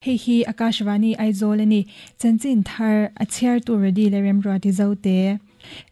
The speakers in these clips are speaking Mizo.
Hei hi Akashvani Aizawl a ni. Chanchin thar a chhiartu Redi leh Remruati Zote.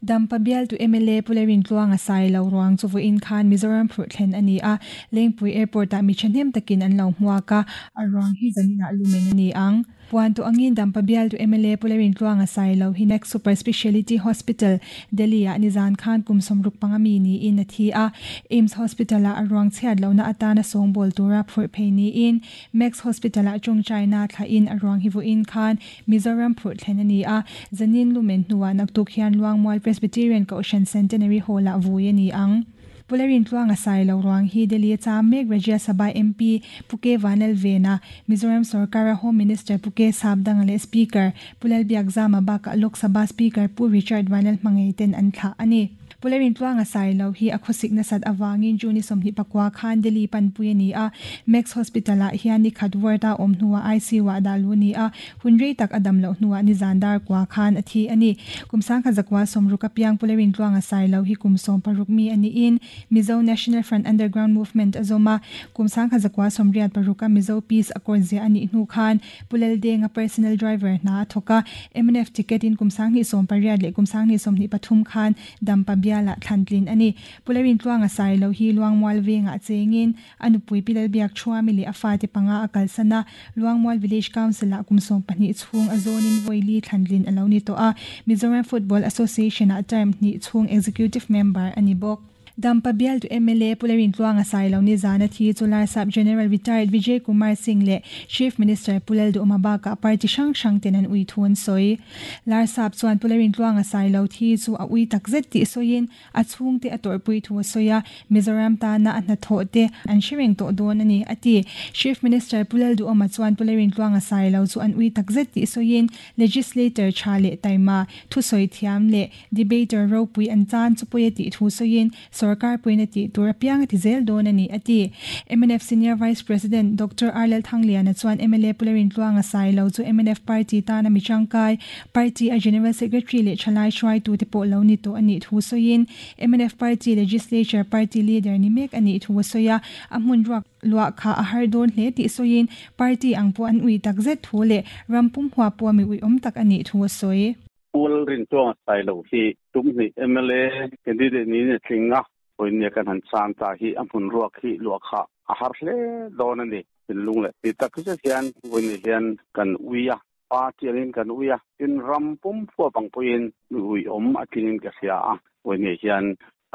Dampa bialtu mla Pu Lerintluanga sai lo ruang chu vawiin khan Mizoram phurh thlen a ni a, Lengpui Airport-ah mi thahnem takin an lo hmuak a, a ruang hi zaninah lumen a ni ang. Puan tawh angin Dampa bialtu mla Pu Lerintluanga sai lo hi Max Super Speciality Hospital, Delhi-ah nizan khan kum 65 mi niin a thi a, AIIMS Hospital-ah a ruang chhiat lohna atana sawngbawl tura phurh phei niin Max Hospital-ah tawngtaina thlahin a ruang hi vawiin khan Mizoram phurh thlen a ni a, zanin lumen hnuah naktuk hian Luangmual Presbyterian Kohhran Centenary Hall-ah vui a ni ang. Pu Lerintluanga sai lo ruang hi Delhi a cham mek Rajya Sabha MP Pu K Vanlalvena, Mizoram sorkara Home Minister Pu K Sapdanga leh Speaker Pu Lalbiakzama bakah Lok Sabha Speaker Pu Richard Vanlalhmangei ten an thlah a ni. Pu Lerintluanga sai lo hi a khawsik nasat avangin June 29 khan Delhi panpui a ni a, Max Hospital-ah hian ni khat ward-a awm hnuah ICU-ah dah luh a ni a, hun rei tak a dam loh hnuah nizan dar kua khan a thi a ni. Kum 1960 apiang Pu Lerintluanga sai lo hi kum 16 mi a niin Mizo National Front Underground Movement a zawm a, kum 1986 a Mizo Peace Accord ziah a nih hnu khan Pu Laldenga personal driver hna a thawk a, mnf ticket in kum 2018 leh kum 2023 khan Dampa bialah thlan tlin a ni. Pu Lerintluanga sai lo hi Luangmual vengah chengin a nupui Pi Lalbiak Thuami leh a fate panga a kalsan a, Luangmual Village Council ah kum 12 chhung a zawnin vawi li thlan tlin a lo ni tawh a, Mizoram Football Association ah term hnih chhung Executive Member a ni bawk. Dampa bialtu mla Pu Lerintluanga sai lo nizan a thi chu Larsap General Retired Vijay Kumar Singh leh Chief Minister Pu Lalduhoma bakah party hrang hrang ten an ui thu an sawi. Larsap chuan Pu Lerintluanga sai lo thi chu a ui takzet tih sawiin a chhungte a tawrhpui thu a sawi a, Mizoram tana a hnathawh te an hre reng tawh dawn a ni, a ti. Chief Minister Pu Lalduhoma chuan Pu Lerintluanga sai lo chu an ui takzet tih sawiin Legislator tha leh taima, thusawi thiam leh Debater ropui an chan chu pawi a tih thu sawiin sorkar puiin a tih tur apiang a ti zel dawn a ni, a ti. Mnf Senior Vice President Doctor R Lalthangliana chuan mla Pu Lerintluanga sai lo chu mnf party tana mi tangkai, party a General Secretary leh thalai hruaitute pawh lo ni tawh a nih thu sawiin mnf party Legislature party leader ni mek a nih thu a sawi a, a hmun ruak luah kha a har dawn hle tih sawiin party ang pawh an ui takzet thu leh ram pum huap pawh mi uiawm tak a nih thu a sawi. Pu Lalrintluanga sai lo hi tum hnih mla candidate niin a tling a, vawinia kan han chan ta hi a hmun ruak hi luah kha a har hle dawn a ni. Thinlung leh ti tak zet hian vawinia hian kan ui a, party angin kan ui a, tin ram pum huap ang pawhin mi uiawm a tlingin ka hria a, vawinia hian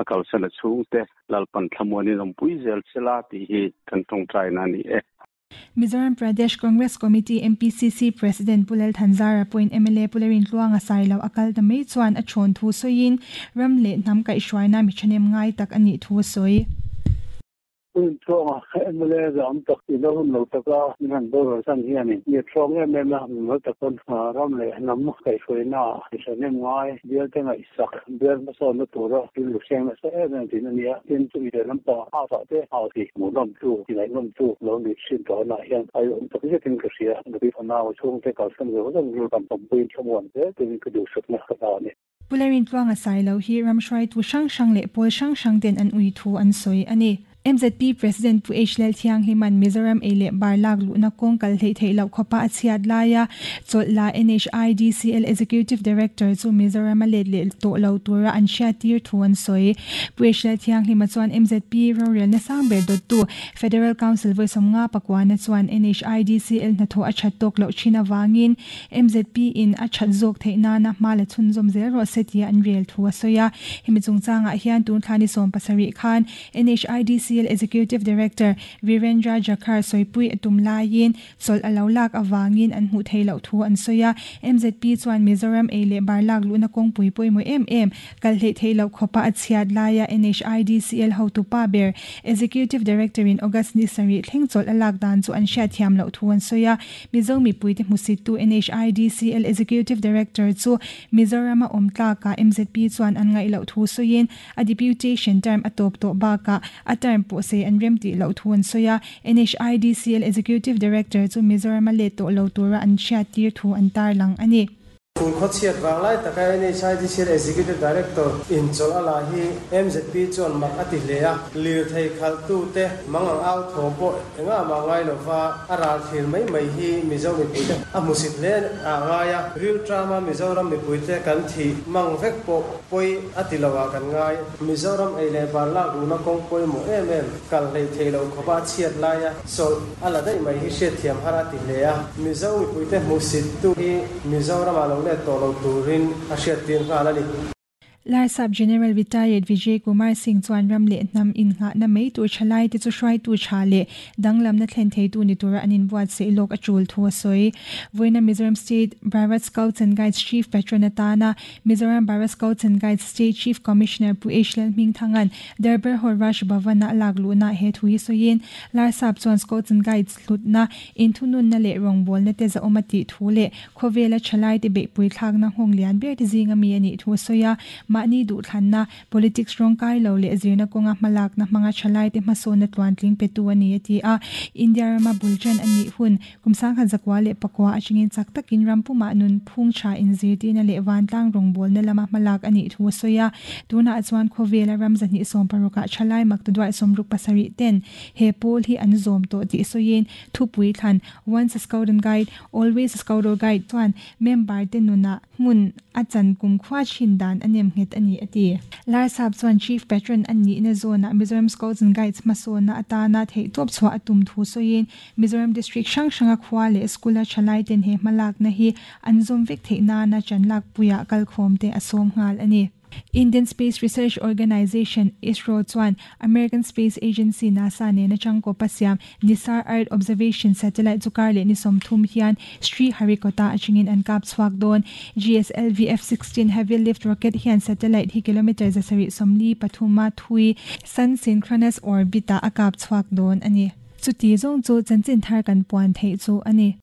a kalsan a chhungte Lalpan thlamuanin awmpui zel sela tih hi kan tawngtaina a ni e. Mizoram Pradesh Congress Committee, MPCC, President Pu Lal Thanzara pawhin mla Pu Lerintluanga sai lo a kal ta mai chuan a thawn thu sawiin ram leh hnam kaihhruaina mi thahnem ngai tak a nih thu a sawi. Pu Rintluanga mla zam tak ilo hun lo taka min han boral san hianin mi a thawng em em a, mimal takin ram leh hnam kaihhruaina mi thahnem ngai bialte ngaih sak bial hmasawnna tura rilru hreng nasa em em thin a ni a, tin chumi leh lampang a vah te hau hi hmuhnawm tu, ngaihnawm tu lo ni thin tawh anah hian a awm tak zetin ka hria, nupui fanau chhungte kalsan zawk zawk rilru kan pawmpuiin thlamuan zel turin ka duhsakna ka hna a ni. Pu Lerintluanga Sailo hi ram hruaitu hrang hrang leh pawl hrang hrang ten an ui thu an sawi a ni. MZP President Pu H Lalthianghlima'n Mizoram ei leh bar lak luhna kawng kal hleih theih loh khawpa a chhiat laia chawlh la NHIDCL Executive Director chu Mizoram a let leh tawh lo tura an hriattir thu an sawi. Pu H Lalthianghlima chuan MZP rorelna sang ber dawttu Federal Council vawi 59 na chuan NHIDCL hnathawh a that tawk loh thin avangin MZP in a that zawk theih nana hma la chhunzawm zel rawh se tia an rel thu a sawi a. Hemi chungchangah hian tun thla ni 70 khan NHIDCL Executive Director Virendra Jakhar sawipui a tum laiin chawlh a lo lak avangin an hmuh theih loh thu an sawi a. MZP chuan Mizoram ei leh bar lak luhna kawngpui pawimawh em em kal hleih theih loh khawpa a chhiat laia NHIDCL hotupa ber Executive Director in August ni sarih thleng chawlh a lak dan chu an hriatthiam loh thu an sawi a. Mizo mipuite hmusittu NHIDCL Executive Director chu Mizorama awm tlakah MZP chuan an ngaih loh thu sawiin A deputation term a tawp tawh bakah a term pawh sei an rem tih loh thu an sawi a, NHIDCL Executive Director chu Mizoram a let tawh lo tura an hriattir thu an tarlang a ni. Tun khawchhiat vang lai taka NHIDCL Executive Director in chawlh a la hi mzp chuan mak a ti hle a, lirthei khalhtute mangang au thawm pawh engah mah ngai lova a ral thlir mai mai hi Mizo mipuite a hmusit hle a ngai a, rilṭama Mizoram mipuite kan thih mang vek pawh pawi a ti lo ah kan ngai. Mizoram ei leh bar lak luhna kawng pawimawh em em kal hleih theih loh khawpa a chhiat laia chawlh a la daih mai hi hriatthiam har a ti hle a. Mizo mipuite hmuhsittu hi Mizoramah lo let tawh lo turin a hriattir nghal a ni. Larsap General Retired Vijay Kumar Singh chuan ram leh hnam innghahna mai tur thalaite chu hruaitu tha leh danglamna thlen theitu ni tura an inbuatsaih lawk a tul thu a sawi. Vawiina Mizoram State Bharat Scouts and Guides Chief Patron atana Mizoram Bharat Scouts and Guides State Chief Commissioner Pu H Lalhmingthanga'n Darbar Hall Raj Bhavan-a a lak luhna he thu hi sawiin Larsap chuan Scouts and Guides hlutna, inthununna leh rawngbawlna te zahawm a tih thu leh khawvela thalaite beihpui thlakna nghawng lian ber te zinga mi a nih thu a sawi a. Mahni duhthlanna, politics rawngkai lo leh zirna kawnga hmalakna hmanga thalaite hmasawnna tluantling petu a ni a ti a. India rama bul tan a nih hun Kum 1949 atangin chak takin ram pumah nun phung tha inzirtirna leh vantlang rawngbawlna lama hmalak a nih thu a sawi a. Tunah chuan khawvela ram 260 ah thalai maktaduai 67 ten he pawl hi an zawm tawh tih sawiin thupui thlan Once a Scout and Guide, Always a Scout or Guide chuan member te nunah hmun a chan kumkhua thin dan a nem nghet a ni a ti. Larsap chuan Chief Patron a nihna zawnah Mizoram Scouts and Guides hmasawnna atana theihtawp chhuah a tum thu sawiin Mizoram District hrang hranga khua leh school-a thalaiten he hmalakna hi an zawm vek theih nana chanlakpuiah kalkhawmte a sawm nghal a ni. Indian Space Research Organisation, ISRO, chuan American Space Agency, NASA, nena changkawpa siam NISAR Earth Observation Satellite chu kar leh ni 30 hian Sriharikota atangin an kap chhuak dawn. GSLV F-16 Heavy Lift Rocket hian satellite hi kilometre 743 thui Sun Synchronous Orbit-ah a kap chhuak dawn a ni. Chuti zawng chu chanchin thar kan puan theih chu a ni.